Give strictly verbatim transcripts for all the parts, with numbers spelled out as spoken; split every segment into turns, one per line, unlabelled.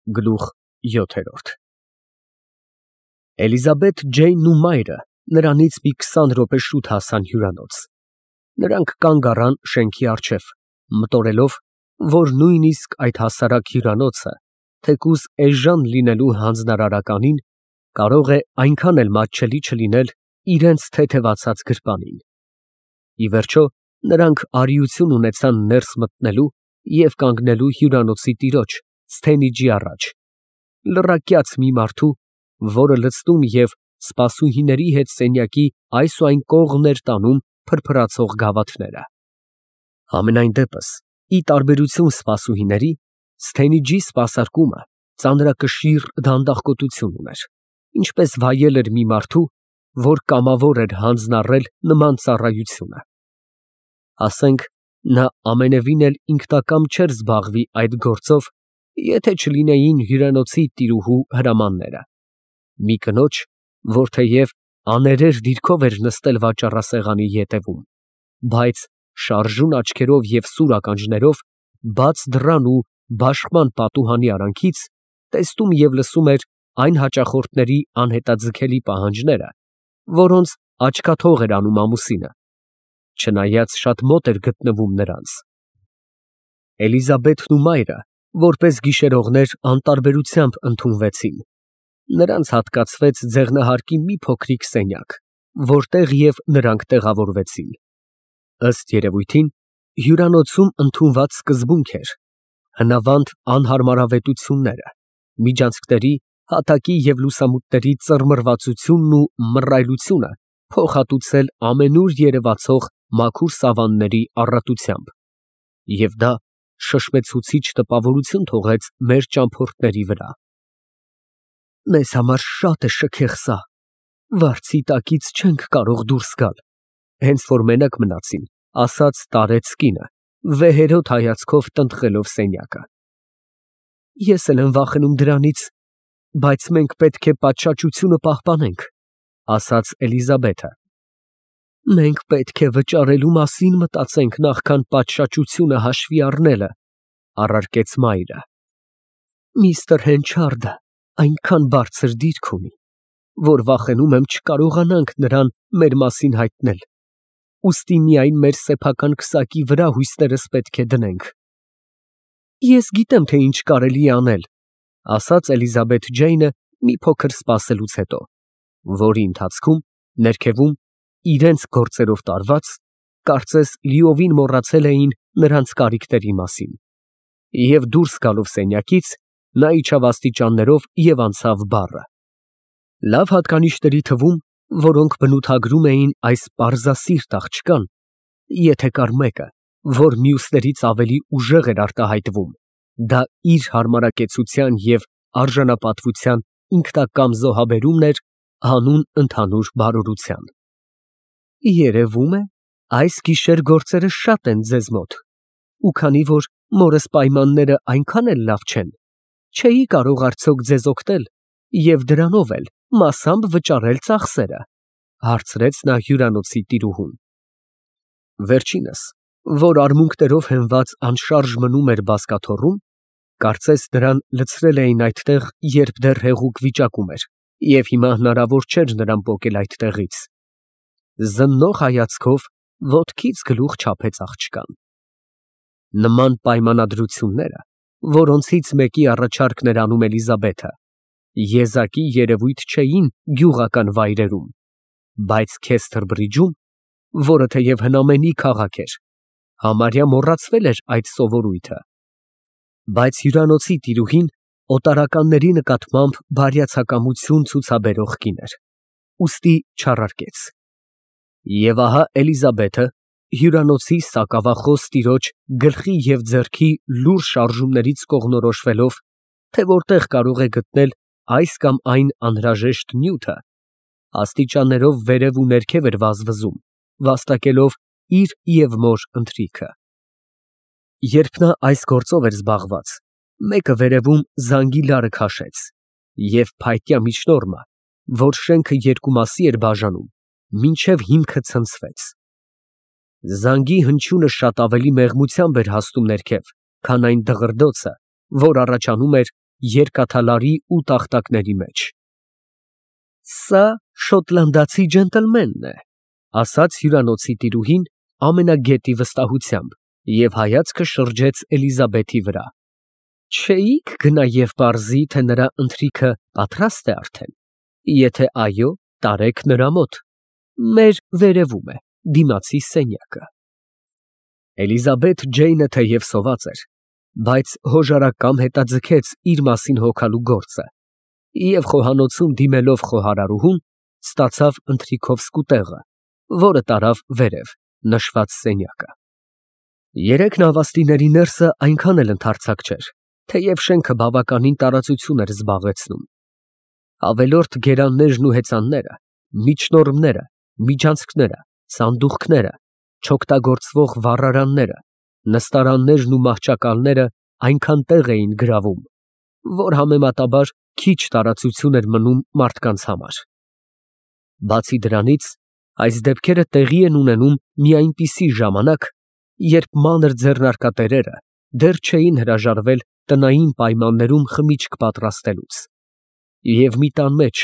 Գլուխ յոթ Էլիզաբեթ Ջեյնն ու մայրը նրանից մի քսան րոպե շուտ հասան հյուրանոց. նրանք կանգ առան շենքի առջև, մտորելով, որ նույնիսկ այդ հասարակ հյուրանոցը, թեկուզ էժան լինելու հանձնարարականին, կարող է այնքան էլ մատչելի չլինել իրենց թեթևացած գրպանին։ Ի վերջո, նրանք արիություն ունեցան ներս մտնելու և կանգնելու հյուրանոցի տիրոջ Սթենիջի առաջ, լռակյաց մի մարդու, որը լցնում և սպասուհիների հետ սենյակի այս ու այն կողմն էր տանում փրփրացող գավաթները։ Համենայն դեպս, ի տարբերություն սպասուհիների, Սթենիջի սպասարկումը ծանրակշիռ դանդաղկոտություն ուներ, ինչպես վայել էր մի մարդու, որ կամավոր էր հանձնառել նման ծառայությունը։ Ասենք, նա ամենևին էլ ինքնակամ չէր զբաղվի այդ գործով, եթե չլինեին հյուրանոցի տիրուհու հրամանները։ Մի կնոջ, որ թեև աներեր դիրքով էր նստել վաճառասեղանի ետևում, բայց շարժուն աչքերով և սուր ականջներով, բաց դռան ու բաշխման պատուհանի արանքից, տեսնում և լսում էր այն հաճախորդների անհետաձգելի պահանջները, որոնց աչքաթող էր անում ամուսինը, չնայած շատ մոտ էր գտնվում նրանց։ Էլիզաբեթն ու մայրը, որպես գիշերողներ, անտարբերությամբ ընդունվեցին. նրանց հատկացվեց ձեղնահարկի մի փոքրիկ սենյակ, որտեղ և նրանք տեղավորվեցին։ Ըստ երևույթին, հյուրանոցում ընդունված սկզբունք էր հնավանդ անհարմարավետությունները, միջանցքների, հատակի և լուսամուտների ծռմռվածությունն ու մռայլությունը փոխհատուցել ամենուր երևացող մաքուր սավանների առատությամբ, և դա շշմեցուցիչ տպավորություն թողեց մեր ճամփորդների վրա։ Մեզ համար շատ է շքեղ սա, վարձի տակից չենք կարող դուրս գալ, հենց որ մենակ մնացին, ասաց տարեց կինը, վեհերոտ հայացքով տնտղելով սենյակը։ Ես էլ եմ վախենում դրանից, բայց մենք պետք է պատշաճությունը պահպանենք, ասաց Էլիզաբեթը։ Մենք պետք է վճարելու մասին մտածենք, նախքան պատշաճությունը հաշվի առնելը, առարկեց մայրը։ Միստր Հենչարդը այնքան բարձր դիրք ունի, որ վախենում եմ չկարողանանք նրան մեր մասին հայտնել, ուստի միայն մեր սեփական քսակի վրա հույսներս պետք է դնենք։ Ես գիտեմ, թե ինչ կարելի է անել, ասաց Էլիզաբեթ Ջեյնը մի փոքր սպասելուց հետո, որի ընթացքում, ներքևում, իրենց գործերով տարված, կարծես լիովին մոռացել էին նրանց կարիքների մասին, և դուրս գալով սենյակից, նա իջավ աստիճաններով և անցավ բառը։ Լավ հատկանիշների թվում, որոնք բնութագրում էին այս պարզասիրտ աղջկան, եթե կար մեկը, որ մյուսներից ավելի ուժեղ էր արտահայտվում, դա իր հարմարակեցության և արժանապատվության ինքնակամ զոհաբերումն էր հանուն ընդհանուր բարօրության։ Երևում է, այս գիշեր գործերը շատ են ձեզ մոտ, ու քանի որ մորս պայմանները այնքան էլ լավ չեն, չէի կարող արդյոք ձեզ օգնել և դրանով էլ մասամբ վճարել ծախսերը, հարցրեց նա հյուրանոցի տիրուհուն։ Վերջինս, որ արմունկներով հենված անշարժ մնում էր բազկաթոռում, կարծես նրան լցրել էին այդտեղ, երբ դեռ հեղուկ վիճակում էր, և հիմա հնարավոր չէր նրան պոկել այդտեղից։ Զննող հայացքով ոտքից գլուխ չափեց աղջկան։ Նման պայմանագրությունները, որոնցից մեկի առաջարկն էր անում Էլիզաբեթը, եզակի երևույթ չէին գյուղական վայրերում, բայց Քեսթերբրիջում, որը թեև հնամենի քաղաք էր, համարյա մոռացվել էր այդ սովորույթը։ Բայց հյուրանոցի տիրուհին օտարականների նկատմամբ բարյացակամություն ցուցաբերող կին էր, ուստի չառարկեց։ Եվ ահա Էլիզաբեթը հյուրանոցի սակավախոս տիրոջ գլխի և ձեռքի լուրջ շարժումներից կողմնորոշվելով, թե որտեղ կարող է գտնել այս կամ այն անհրաժեշտ նյութը, աստիճաններով վերև ու ներքև էր վազվզում, վաստակելով իր և մոր ընթրիքը։ Երբ նա այս գործով էր զբաղված, մեկը վերևում զանգի լարը քաշեց, և փայտյա միջնորմը, որ շենքը երկու մասի էր բաժանում, մինչև հիմքը ցնցվեց։ Զանգի հնչյունը շատ ավելի մեղմությամբ էր հասնում ներքև, քան այն դղրդոցը, որ առաջանում էր, երկաթալարի ու տախտակների մեջ։ Սա շոտլանդացի ջենտլմենն է, ասաց հյուրանոցի տիրուհին ամենագետի վստահությամբ և հայացքը շրջեց Էլիզաբեթի վրա։ Չէի՞ք գնա և պարզի, թե նրա ընթրիքը պատրաստ է արդեն, եթե այո, տարեք նրա մոտ, մեր վերևում է, դիմացի սենյակը։ Էլիզաբեթ Ջեյնը թեև սոված էր, բայց հոժարակամ հետաձգեց իր մասին հոգալու գործը և խոհանոցում դիմելով խոհարարուհուն, ստացավ ընթրիքով սկուտեղը, որը տարավ վերև, նշված սենյակը։ Երեք նավաստիների ներսը այնքան էլ ընդարձակ չէր, թեև շենքը բավականին տարածություն էր զբաղեցնում։ Ավելորդ գերաններն ու հեծանները, միջնորմները, միջանցքները, սանդուղքները, չօգտագործվող վառարանները, նստարաններն ու մահճակալները այնքան տեղ էին գրավում, որ համեմատաբար քիչ տարածություն էր մնում մարդկանց համար։ Բացի դրանից, այս դեպքերը տեղի են ունենում մի այնպիսի ժամանակ, երբ մանր ձեռնարկատերերը դեռ չէին հրաժարվել տնային պայմաններում խմիչք պատրաստելուց, և մի տան մեջ,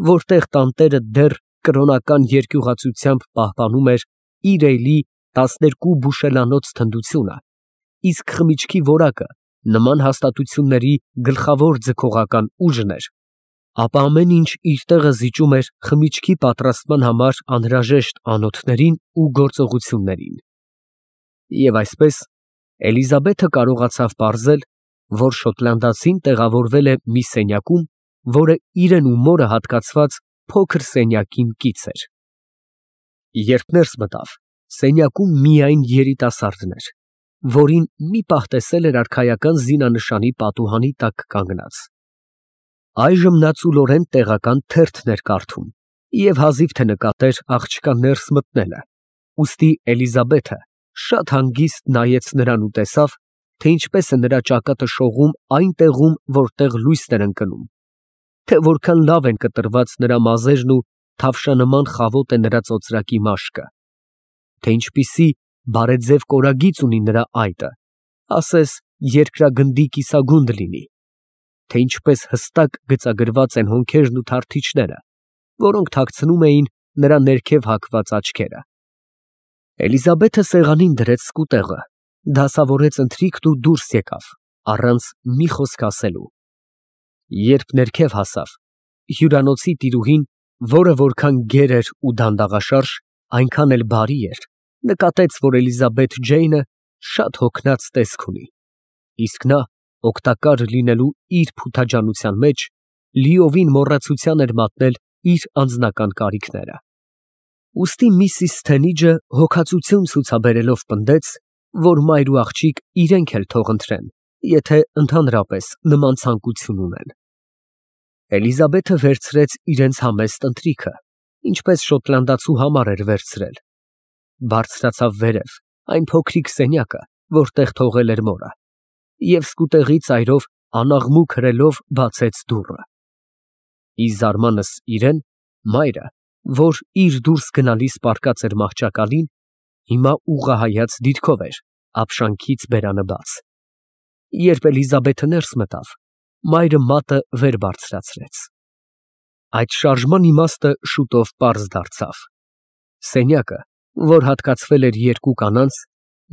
որտեղ տանտերը դեռ կրոնական երկյուղացությամբ պահպանում էր իր էլի տասներկու բուշելանոց թնդությունը, իսկ խմիչքի որակը նման հաստատությունների գլխավոր ձգողական ուժն էր, ապա ամեն ինչ իր տեղը զիջում էր խմիչքի պատրաստման համար անհրաժեշտ անոթներին ու գործողություններին։ Եվ այսպես Էլիզաբեթը կարողացավ պարզել, որ շոտլանդացին տեղավորվել է մի սենյակում, որը իրեն ու մորը հատկացված փոքր սենյակին կից էր։ Երբ ներս մտավ, սենյակում միայն երիտասարդն էր, որին մի պահ տեսել էր արքայական զինանշանի պատուհանի տակ կանգնած։ Այժմ նա ծուլորեն տեղական թերթն էր կարդում և հազիվ թե նկատեր աղջկա ներս մտնելը, ուստի Էլիզաբեթը շատ հանգիստ նայեց նրան ու տեսավ, թե ինչպես է նրա ճակատը շողում այն տեղում, որտեղ լույսն էր ընկնում, թե որքան լավ են կտրված նրա մազերն ու թավշանման խավոտ է նրա ծոծրակի մաշկը, թե ինչպիսի բարեձև կորագիծ ունի նրա այտը, ասես երկրագնդի կիսագունդ լինի, թե ինչպես հստակ գծագրված են հոնքերն ու թարթիչները, որոնք թաքցնում էին նրա ներքև հագված աչքերը։ Էլիզաբեթը սեղանին դրեց սկուտեղը, դասավորեց ընթրիքն ու դուրս եկավ, առանց մի խոսք ասելու։ Երբ ներքև հասավ, հյուրանոցի տիրուհին, որը որքան գեր էր ու դանդաղաշարժ, այնքան էլ բարի էր, նկատեց, որ Էլիզաբեթ Ջեյնը շատ հոգնած տեսք ունի, իսկ նա, օգտակար լինելու իր փութաջանության մեջ, լիովին մոռացության էր մատնել իր անձնական կարիքները։ Ուստի միսիս Սթենիջը հոգածություն ցուցաբերելով պնդեց, որ մայր ու աղջիկ իրենք էլ թող ընտրեն, եթե ընդհանրապես նման ցանկություն ունեն։ Էլիզաբեթը վերցրեց իրենց համեստ ընթրիքը, ինչպես շոտլանդացու համար էր վերցրել, բարձրացավ վերև, այն փոքրիկ սենյակը, որտեղ թողել էր մորը, և սկուտեղի ծայրով անաղմուկ հրելով բացեց դուռը։ Ի զարմանս իրեն, մայրը, որ իր դուրս գնալիս պառկած էր մահճակալին, հիմա ուղղահայաց դիրքով էր, ապշանքից բերանը բաց։ Երբ Էլիզաբեթը ներս մտավ, մայրը մատը վեր բարձրացրեց։ Այդ շարժման իմաստը շուտով պարզ դարձավ։ Սենյակը, որ հատկացվել էր երկու կանանց,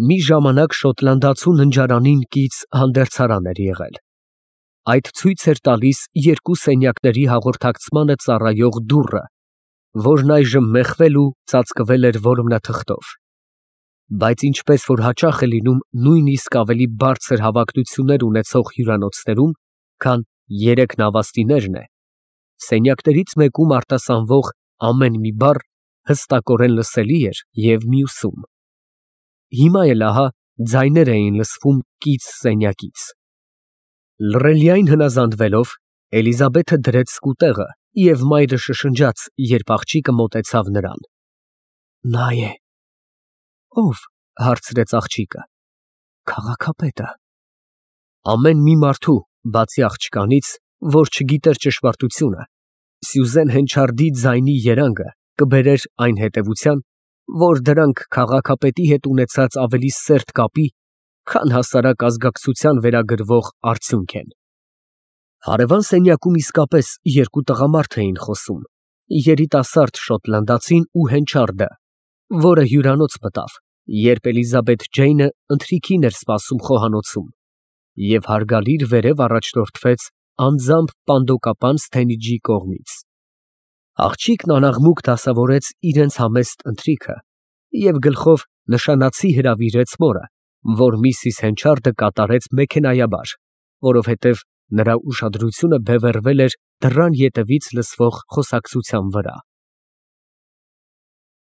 մի ժամանակ շոտլանդացու ննջարանին կից հանդերձարան էր եղել։ Այդ ցույց էր տալիս երկու սենյակների հաղորդակցմանը ծառայող դուռը, որն այժմ մեխվել ու ծածկվել էր որմնաթղթով։ Բայց ինչպես որ հաճախ է լինում նույնիսկ ավելի բարձր հավակնություններ ունեցող հյուրանոցներում, քան երեք նավաստիներն է, սենյակներից մեկում արտասանվող ամեն մի բառ հստակորեն լսելի էր և մյուսում։ Հիմա էլ ահա ձայներ էին լսվում կից սենյակից։ Լռելիայն հնազանդվելով, Էլիզաբեթը դրեց սկուտեղը և մայրը շշնջաց, երբ աղջիկը մոտեցավ նրան։ Նա է։ Ո՞վ, հարցրեց աղջիկը։ Քաղաքապետը։ Ամեն մի մարդու, բացի աղջկանից, որ չգիտեր ճշմարտությունը, Սյուզեն Հենչարդի ձայնի երանգը կբերեր այն հետևության, որ դրանք քաղաքապետի հետ ունեցած ավելի սերտ կապի, քան հասարակ ազգակցության վերագրվող արդյունք են։ Հարևան սենյակում իսկապես երկու տղամարդ էին խոսում, երիտասարդ շոտլանդացին ու հենչարդը, որը հյուրանոց մտավ, երբ Էլիզաբեթ Ջեյնը ընթրիքին էր սպասում խոհանոցում, և հարգալիր վերև առաջնորդվեց անձամբ պանդոկապան Սթենհիջի կողմից։ Աղջիկն անաղմուկ դասավորեց իրենց համեստ ընթրիքը և գլխով նշանացի հրավիրեց մորը, որ միսիս Հենչարդը կատարեց մեքենայաբար, որովհետև նրա ուշադրությունը բևեռվել էր դռան ետևից լսվող խոսակցության վրա։